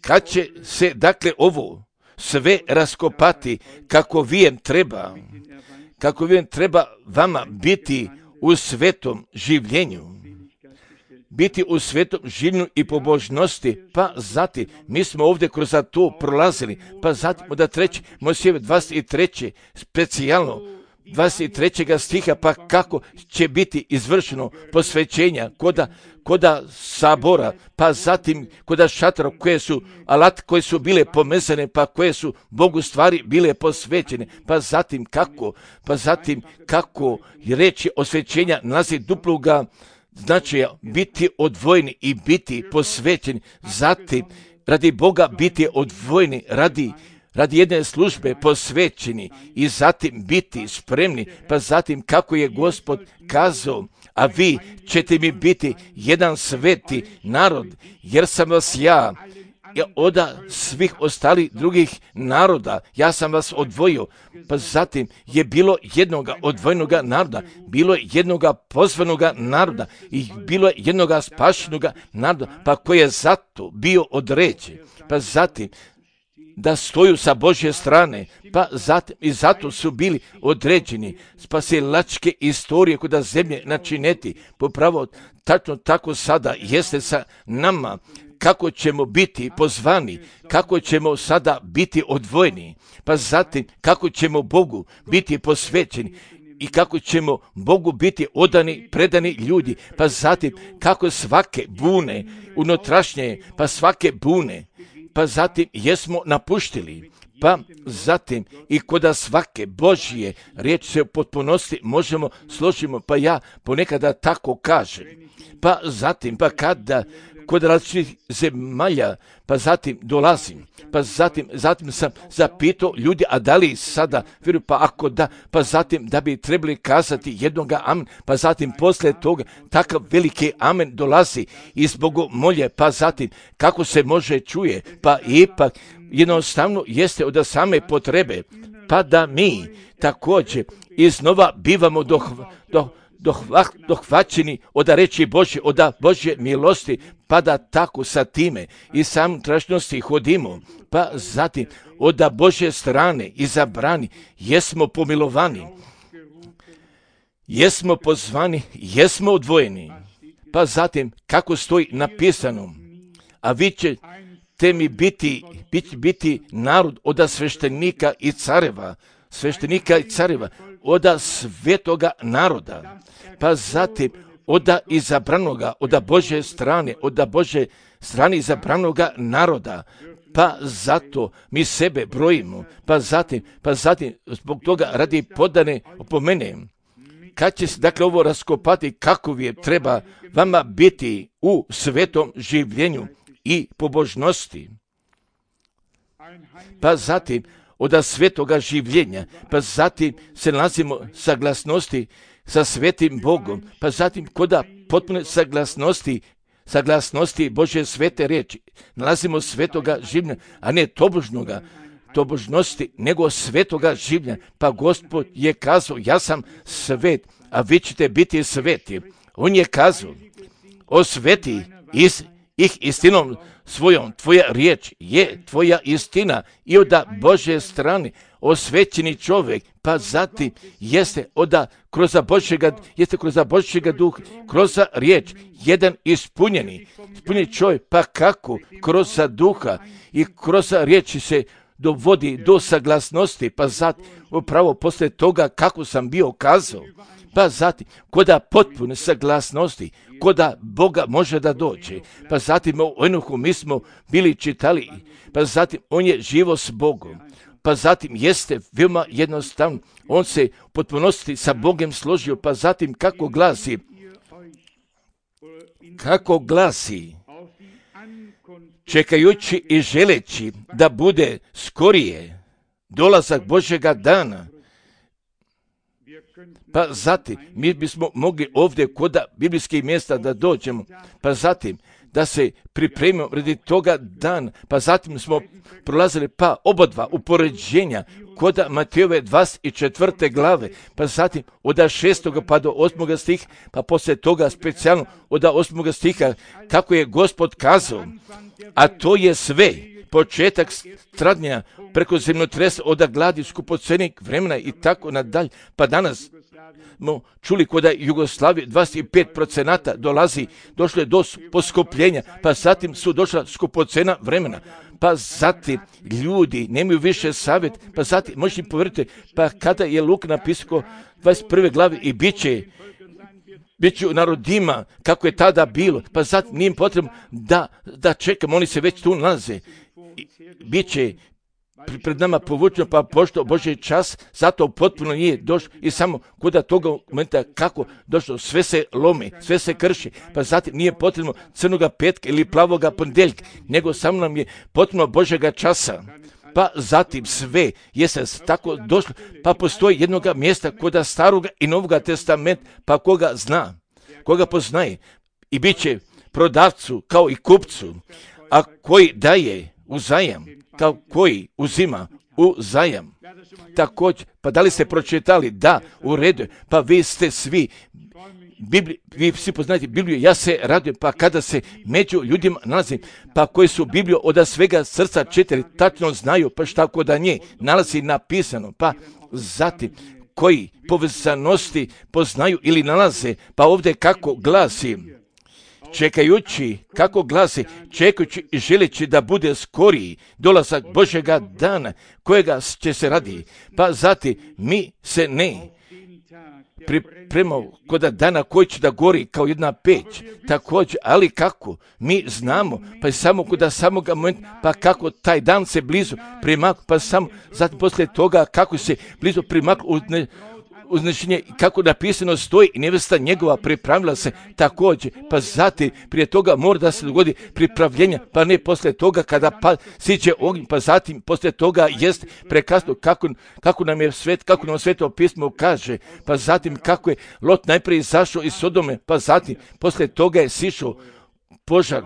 Speaker 2: Kad će se dakle ovo sve raskopati kako vijem treba vama biti u svetom življenju. Biti u svetom življenju i pobožnosti, pa zatim mi smo ovdje kroz to prolazili, pa zatim od 3. Mojsijeve 23. specijalno 23. stiha, pa kako će biti izvršeno posvećenja koda sabora, pa zatim koda šatora koje su bile pomezane, pa koje su Bogu stvari bile posvećene, pa zatim kako reći osvećenja nalazi duploga značaja biti odvojeni i biti posvećeni, zatim radi Boga biti odvojeni, radi jedne službe posvećeni i zatim biti spremni, pa zatim kako je Gospod kazao, a vi ćete mi biti jedan sveti narod, jer sam vas ja od svih ostalih drugih naroda, ja sam vas odvojio. Pa zatim je bilo jednoga odvojenoga naroda, bilo je jednoga pozvanoga naroda i bilo je jednoga spašenoga naroda, pa koji je zato bio određen. Pa zatim da stoju sa Božje strane, pa zatim i zato su bili određeni spasilačke istorije kuda zemlje načineti. Popravo tačno tako sada jeste sa nama, kako ćemo biti pozvani, kako ćemo sada biti odvojeni, pa zatim kako ćemo Bogu biti posvećeni i kako ćemo Bogu biti odani, predani ljudi, pa zatim kako svake bune unutrašnje, pa svake bune, pa zatim jesmo napuštili, pa zatim i koda svake Božje riječ se u potpunosti možemo složimo, pa ja ponekada tako kažem, pa zatim pa kada kod različitih zemalja, pa zatim dolazim, pa zatim sam zapitao ljudi, a da li sada vjeruju, pa ako da, pa zatim da bi trebali kazati jednoga amen, pa zatim poslije toga takav veliki amen dolazi iz Bogomolje, pa zatim kako se može čuje, pa ipak jednostavno jeste od same potrebe, pa da mi također iznova bivamo dohvaćeni od reči Božje, od Božje milosti, pa da tako sa time i sam tražnosti hodimo, pa zatim od Božje strane izabrani, jesmo pomilovani, jesmo pozvani, jesmo odvojeni, pa zatim kako stoji napisano, a vi ćete mi biti narod od sveštenika i careva, oda svetoga naroda, pa zatim oda izabranoga, oda Božje strane izabranoga naroda, pa zato mi sebe brojimo, pa zatim zbog toga radi podane opomene. Kad će se dakle ovo raskopati, kako je treba vama biti u svetom življenju i pobožnosti, pa zatim od svetoga življenja, pa zatim se nalazimo saglasnosti sa svetim Bogom, pa zatim koda potpune saglasnosti Božje svete riječi, nalazimo svetoga življenja, a ne tobožnosti, nego svetoga življenja. Pa Gospod je kazao, ja sam svet, a vi ćete biti sveti. On je kazao, osveti ih istinom svojom, tvoja riječ je tvoja istina, i od Božje strane osvećeni čovjek, pa zatim jeste kroz Božjega duha, kroz riječ, jedan ispunjeni čovjek, pa kako? Kroz duha i kroz riječi se dovodi do saglasnosti, pa zatim upravo poslije toga kako sam bio kazao, pa zatim koda potpune saglasnosti, koda Boga može da dođe, pa zatim u Enohu mi smo bili čitali, pa zatim on je živo s Bogom, pa zatim jeste veoma jednostavno, on se u potpunosti sa Bogom složio, pa zatim kako glasi, čekajući i želeći da bude skorije dolazak Božjega dana. Pa zatim mi bismo mogli ovdje kod biblijskih mjesta da dođemo, pa zatim da se pripremimo radi toga dana, pa zatim smo prolazili pa obadva upoređenja kod Matejove 24. glave, pa zatim od 6. pa do 8. stiha, pa poslije toga specijalno od 8. stiha kako je Gospod kazao, a to je sve početak stradnja preko zemljotresa, od gladi, skupocenih vremena i tako nadalje. Pa danas smo čuli kod Jugoslavije 25% došlo je do poskupljenja, pa zatim su došla skupocena vremena, pa zatim ljudi nemaju više savjet, pa zatim možete povjeriti, pa kada je Luka napisao 21. glavi i bit će u narodima kako je tada bilo, pa zatim nije potrebno da čekamo, oni se već tu nalaze. Biće pred nama povučeno, pa pošto Božji čas, zato potpuno nije došlo i samo kod toga momenta kako došlo, sve se lomi, sve se krši, pa zatim nije potrebno crnoga petka ili plavoga ponedjeljka, nego samo nam je potrebno Božjega časa. Pa zatim sve jeste tako došlo, pa postoji jednoga mjesta kod Staroga i Novoga testamenta, pa koga zna, koga poznaje, i bit će prodavcu kao i kupcu, a koji daje u zajam, kao koji uzima u zajam. Također, pa da li ste pročitali? Da, u redu, pa vi ste svi, vi svi poznajete Bibliju, ja se radujem, pa kada se među ljudima nalazim, pa koji su Bibliju od svega srca čitali, tačno znaju, pa šta kod nje nalazi napisano, pa zatim koji povezanosti poznaju ili nalaze, pa ovdje kako glasi, čekajući i želeći da bude skoriji dolazak Božjega dana, kojega će se radi, pa zatim mi se ne pripremamo kod dana koji će da gori kao jedna peć, također, ali kako mi znamo, pa je samo kod samoga momenta, pa kako taj dan se blizu primaknu, pa samo zatim poslije toga kako se blizu primaknu uznešenje, kako napisano stoji, i nevesta njegova pripravila se također, pa zatim prije toga mora da se dogodi pripravljenja, pa ne poslije toga kada siđe ognj, pa zatim poslije toga jest prekasno, kako nam Sveto pismo kaže, pa zatim kako je Lot najprije izašao iz Sodome, pa zatim poslije toga je sišao požar,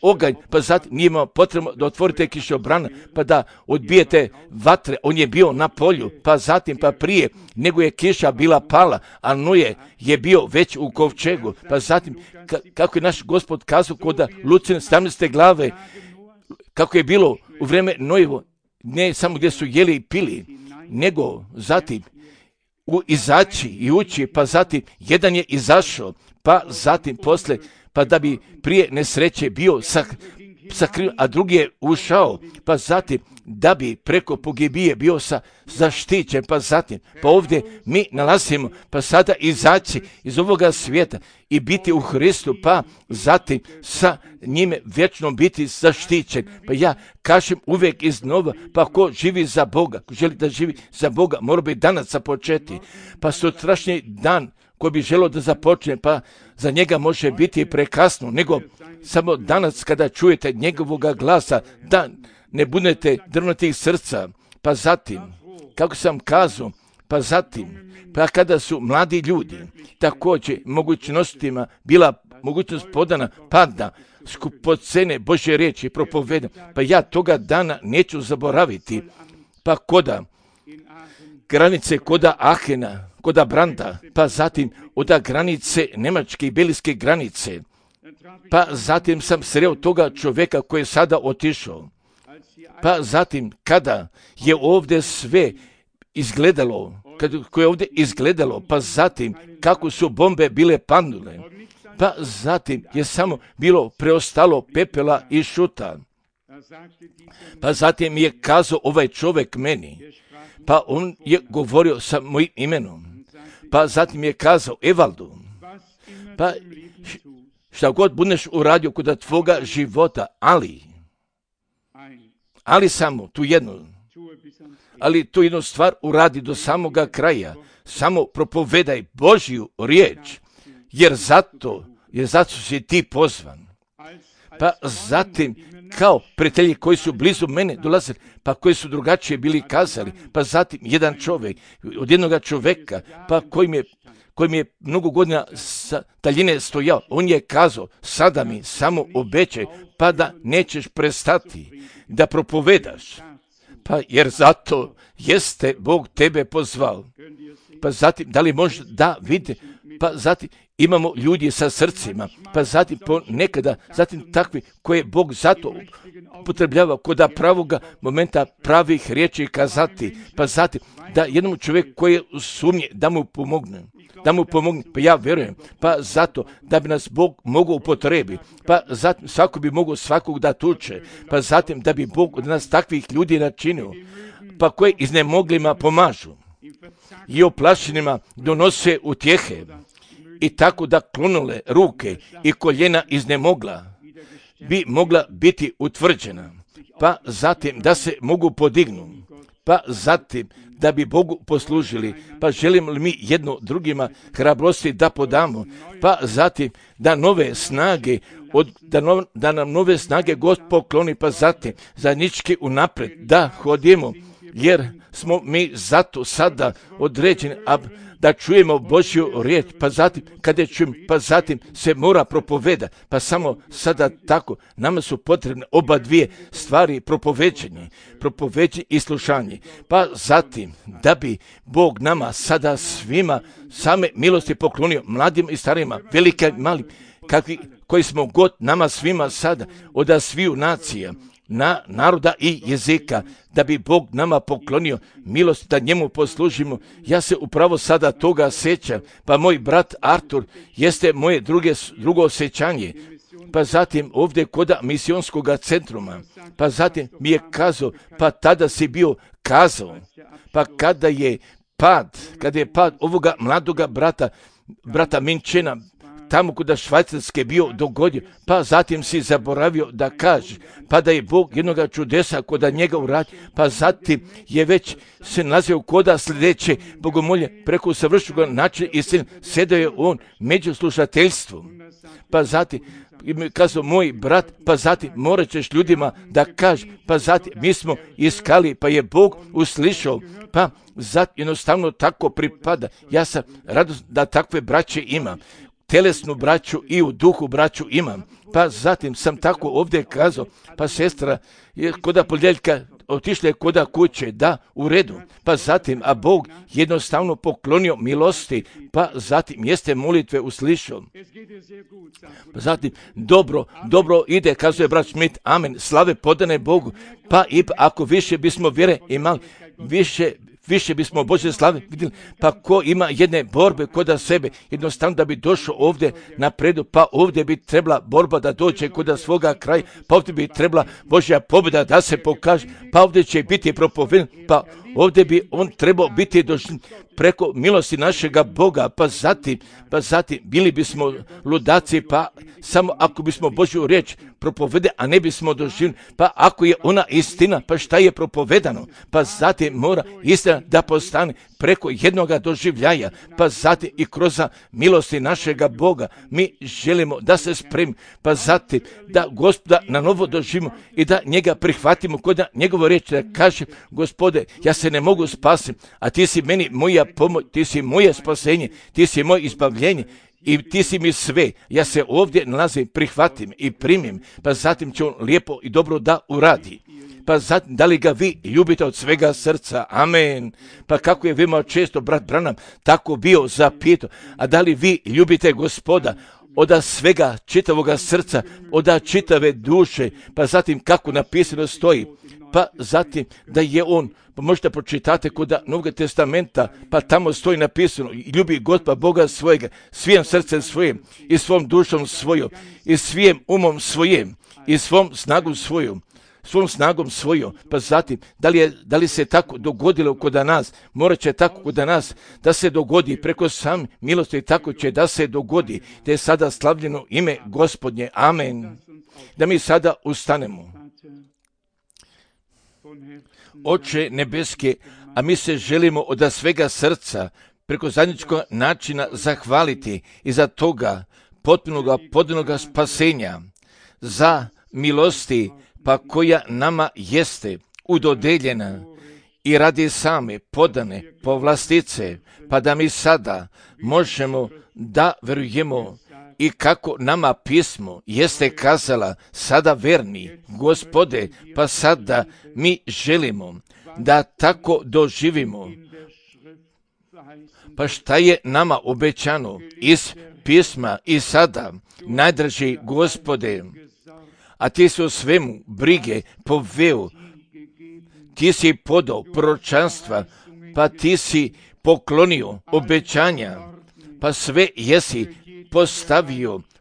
Speaker 2: oganj, pa zatim nije imao potrebno da otvorite kišobrana, pa da odbijete vatre, on je bio na polju, pa zatim, pa prije nego je kiša bila pala, a Noje je bio već u kovčegu, pa zatim, kako je naš Gospod kazao kod Lucine 17. glave, kako je bilo u vrijeme Nojevo, ne samo gdje su jeli i pili, nego zatim izaći i ući, pa zatim jedan je izašao, pa zatim posle, pa da bi prije nesreće bio sakrio, a drugi je ušao, pa zatim da bi preko pogibije bio zaštićen, pa zatim, pa ovdje mi nalazimo, pa sada izaći iz ovoga svijeta i biti u Hristu, pa zatim sa njime vječno biti zaštićen. Pa ja kažem uvijek iznova, pa ko živi za Boga, ko želi da živi za Boga, mora bi danas započeti, pa sutrašnji dan ko bi želio da započne, pa za njega može biti prekasno, nego samo danas kada čujete njegovoga glasa, da ne budete drvnatih srca, pa zatim, kako sam kazao, pa zatim, pa kada su mladi ljudi, također mogućnostima bila mogućnost podana, pa da skupocene Božje riječi propovedam, pa ja toga dana neću zaboraviti, pa koda granice, koda Ahena, koda Branda, pa zatim od granice Njemačke i Belgijske granice, pa zatim sam sreo toga čovjeka koji je sada otišao. Pa zatim kada je ovdje sve izgledalo, koje je ovdje izgledalo, pa zatim kako su bombe bile padnule, pa zatim je samo bilo preostalo pepela i šuta. Pa zatim je kazao ovaj čovjek meni, pa on je govorio sa mojim imenom, pa zatim je kazao Evaldu, pa šta god budeš uradio kod tvoga života, ali samo tu jednu stvar uradi do samoga kraja, samo propovedaj Božju riječ, jer zato si ti pozvan. Pa zatim, kao prijatelji koji su blizu mene dolazili, pa koji su drugačije bili kazali, pa zatim jedan čovjek, od jednoga čovjeka, pa koji mi je mnogo godina sa daljine stojao, on je kazao, sada mi samo obećaj, pa da nećeš prestati da propovedaš, pa jer zato jeste Bog tebe pozvao. Pa zatim, da li može da vidite, pa zatim imamo ljudi sa srcima, pa zatim ponekada, zatim takvi koje Bog zato upotrebljava koda pravoga momenta pravih riječi kazati, pa zatim da jednom čovjeku koji je u sumnji da mu pomogne, pa ja vjerujem, pa zato da bi nas Bog mogao upotrebi, pa zatim svako bi mogao svakog da tuče, pa zatim da bi Bog od nas takvih ljudi načinio, pa koje iznemoglima pomažu i oplašenima donose utjehe i tako da klonule ruke i koljena iznemogla bi mogla biti utvrđena, pa zatim da se mogu podignu, pa zatim da bi Bogu poslužili, pa želimo li mi jedno drugima hrabrosti da podamo, pa zatim da nove snage, da nam nove snage Gospod pokloni, pa zatim zajednički unaprijed da hodimo, jer smo mi zato sada određeni, da čujemo Božju riječ, pa zatim kada čujemo, pa zatim se mora propoveda, pa samo sada tako, nama su potrebne oba dvije stvari, propoveđenje i slušanje, pa zatim da bi Bog nama sada svima same milosti poklonio, mladim i starima, velike i malim, koji smo god nama svima sada, od sviju nacija, naroda i jezika, da bi Bog nama poklonio milost da njemu poslužimo. Ja se upravo sada toga sjećam, pa moj brat Artur jeste moje drugo osjećanje, pa zatim ovdje koda misionskog centruma, pa zatim mi je kazao, pa tada si bio kazao, pa kada je pad ovoga mladoga brata Minčena, tamo kuda Švajcarske bio dogodio, pa zatim si zaboravio da kaže, pa da je Bog jednoga čudesa koda njega uradi, pa zatim je već se nazvao koda sljedeće bogomolje preko savršenog načina i sedao je on među slušateljstvom, pa zatim kazao moj brat, pa zatim morat ćeš ljudima da kaže, pa zatim mi smo iskali, pa je Bog uslišao, pa zatim jednostavno tako pripada. Ja sam radost da takve braće imam, telesnu braću i u duhu braću imam, pa zatim sam tako ovdje kazao, pa sestra je koda ponedjeljka otišla je koda kuće, da, u redu, pa zatim, a Bog jednostavno poklonio milosti, pa zatim jeste molitve uslišao. Pa zatim, dobro ide, kazuje brat Schmidt, amen, slave podane Bogu, pa i ako više bismo vjere imali, više više bismo Božje slave vidjeli. Pa ko ima jedne borbe kod sebe, jednostavno da bi došao ovdje napredu, pa ovdje bi trebala borba da dođe kod svoga kraja, pa ovdje bi trebala Božja pobjeda da se pokaže, pa ovdje će biti propoveden, pa ovdje bi on trebao biti došli preko milosti našega Boga, pa zatim bili bismo ludaci, pa samo ako bismo Božju riječ propovede, a ne bismo doživjeli, pa ako je ona istina, pa šta je propovedano, pa zatim mora istina da postane preko jednoga doživljaja, pa zatim i kroz milosti našega Boga mi želimo da se spremimo, pa zatim da Gospoda na novo doživimo i da njega prihvatimo kod njegovu riječ, da kaže: Gospode, ja se ne mogu spasiti, a ti si meni moja pomoć, ti si moje spasenje, ti si moje izbavljenje i ti si mi sve. Ja se ovdje nalazim, prihvatim i primim, pa zatim će on lijepo i dobro da uradi. Pa zatim, da li ga vi ljubite od svega srca? Amen. Pa kako je veoma često brat Branham tako bio zapitao, a da li vi ljubite Gospoda od svega čitavoga srca, od čitave duše? Pa zatim kako napisano stoji, pa zatim da je on, pa možete pročitate kod Novog testamenta, pa tamo stoji napisano: ljubi Gospoda Boga svojega svijim srcem svojim i svom dušom svojom i svijim umom svojim i svom snagom svojom. Pa zatim, da li se tako dogodilo kod nas? Morat će tako kod nas da se dogodi preko sam milosti, tako će da se dogodi, da je sada slavljeno ime Gospodnje. Amen. Da mi sada ustanemo. Oče nebeske, a mi se želimo od svega srca preko zajedničkog načina zahvaliti i za toga potpunoga spasenja, za milosti pa koja nama jeste udodeljena i radi same podane povlastice, pa da mi sada možemo da verujemo i kako nama pismo jeste kazala: sada verni Gospode, pa sada mi želimo da tako doživimo. Pa šta je nama obećano iz pisma i sada, najdraži Gospode, a ti si o svemu brige poveo, ti si podao proročanstva, pa ti si poklonio obećanja, pa sve jesi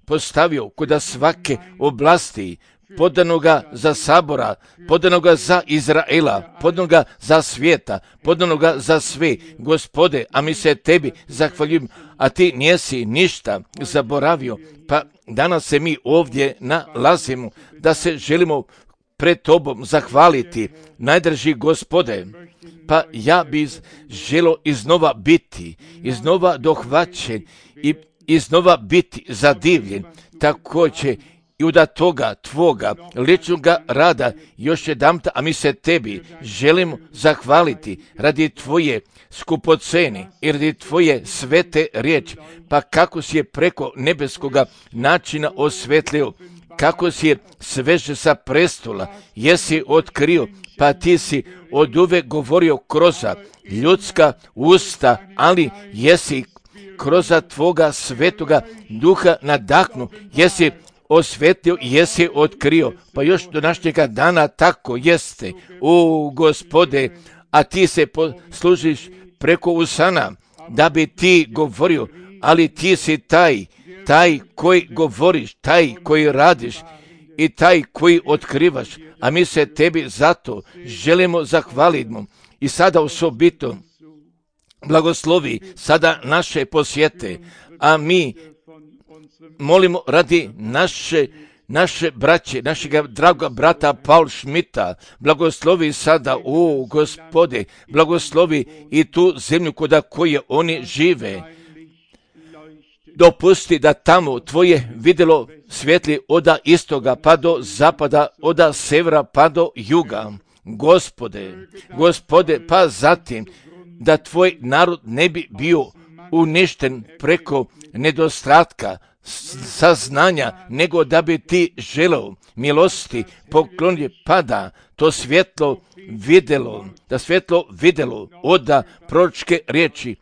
Speaker 2: postavio kod svake oblasti, podanoga za sabora, podanoga za Izraela, podanoga za svijeta, podanoga za sve. Gospode, a mi se tebi zahvaljujemo, a ti nisi ništa zaboravio, pa danas se mi ovdje nalazimo da se želimo pred tobom zahvaliti, najdraži Gospode. Pa ja bi želio iznova biti, iznova dohvaćen i iznova biti zadivljen, također i od toga tvoga ličnoga rada još jedanputa, a mi se tebi želimo zahvaliti radi tvoje skupocene i radi tvoje svete riječi, pa kako si je preko nebeskoga načina osvetlio, kako si je sveže sa prestola, jesi otkrio, pa ti si od uvek govorio kroz ljudska usta, ali jesi kroz tvoga svetoga duha nadahnu, jesi osvetio i jesi otkrio, pa još do našega dana tako jeste. O Gospode, a ti se služiš preko usana da bi ti govorio, ali ti si taj koji govoriš, taj koji radiš i taj koji otkrivaš, a mi se tebi zato želimo zahvaliti. I sada osobito blagoslovi sada naše posjete, a mi molimo radi naše braće, našega draga brata Paul Schmidta, blagoslovi sada, o Gospode, blagoslovi i tu zemlju kod koje oni žive. Dopusti da tamo tvoje vidjelo svjetli od istoga pa do zapada, od severa pa do juga. Gospode, pa zatim da tvoj narod ne bi bio uništen preko nedostatka saznanja, nego da bi ti želeo milosti poklonje, pa da to svjetlo vidjelo od proročke riječi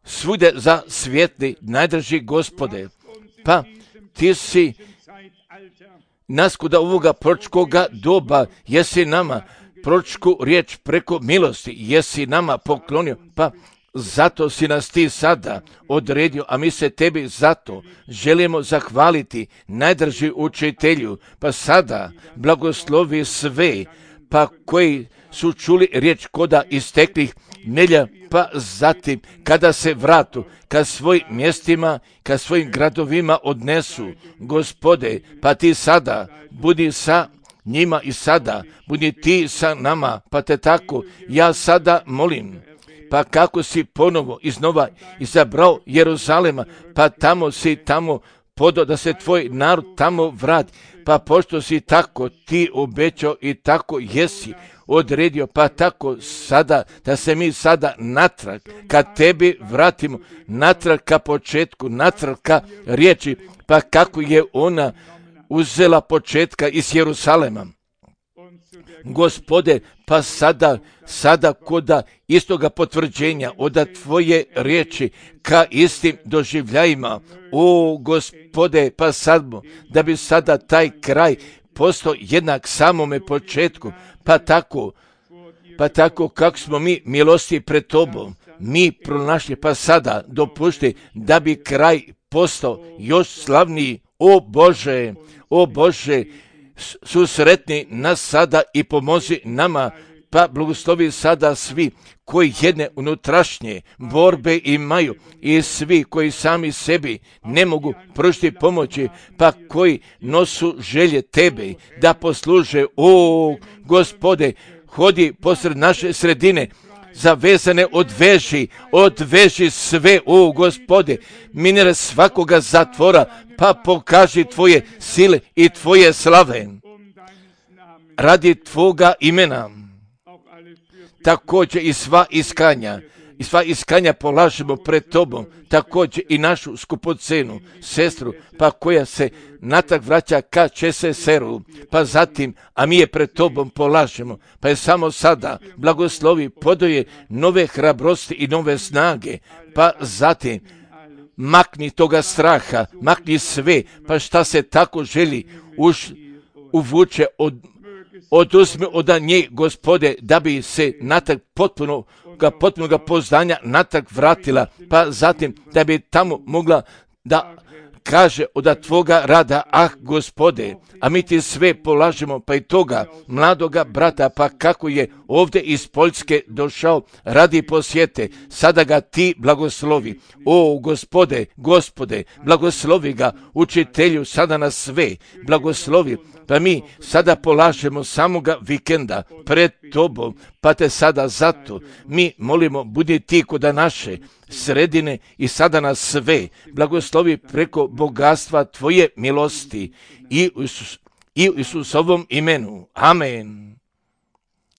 Speaker 2: svude za svjetli, najdraži Gospode. Pa ti si nas kod ovoga proročkoga doba, jesi nama proročku riječ preko milosti jesi nama poklonio, pa zato si nas ti sada odredio, a mi se tebi zato želimo zahvaliti, najdraži učitelju, pa sada blagoslovi sve, pa koji su čuli riječ koda isteklih nedjelja, pa zatim kada se vratu, kad svojim mjestima, kad svojim gradovima odnesu, Gospode, pa ti sada budi sa njima i sada budi ti sa nama, pa te tako ja sada molim. Pa kako si ponovo iznova izabrao Jeruzalema, pa tamo si tamo podao da se tvoj narod tamo vrati, pa pošto si tako ti obećao i tako jesi odredio, pa tako sada da se mi sada natrag kad tebi vratimo, natrag ka početku, natrag ka riječi, pa kako je ona uzela početka iz Jeruzalema. Gospode, pa sada koda istoga potvrđenja oda tvoje riječi ka istim doživljajima, o Gospode, pa sad da bi sada taj kraj postao jednak samome početku, pa tako kako smo mi milosti pred tobom, mi pronašli, pa sada dopušti da bi kraj postao još slavniji, o Bože, susretni nas sada i pomozi nama, pa blagoslovi sada svi koji jedne unutrašnje borbe imaju i svi koji sami sebi ne mogu pružiti pomoći, pa koji nosu želje tebe da posluže, o Gospode, hodi posred naše sredine, zavezane odveži sve, o Gospode, minire svakoga zatvora, pa pokaži tvoje sile i tvoje slave radi tvoga imena. Također i sva iskanja polažemo pred tobom, također i našu skupocenu sestru, pa koja se natrag vraća ka Česeseru, pa zatim, a mi je pred tobom polažemo, pa je samo sada blagoslovi, podoje nove hrabrosti i nove snage, pa zatim makni toga straha, makni sve, pa šta se tako želi uvuče oduzmi od nje, Gospode, da bi se natrag potpunoga poznanja natrag vratila, pa zatim da bi tamo mogla da kaže od tvoga rada, Gospode, a mi ti sve polažemo, pa i toga mladoga brata, pa kako je ovdje iz Poljske došao radi posjete, sada ga ti blagoslovi, o Gospode, blagoslovi ga, učitelju, sada nas sve blagoslovi, pa mi sada polažemo samoga vikenda pred tobom, pa te sada zato mi molimo, budi ti koda naše sredine i sada nas sve blagoslovi preko bogatstva tvoje milosti i u Isusovom imenu. Amen.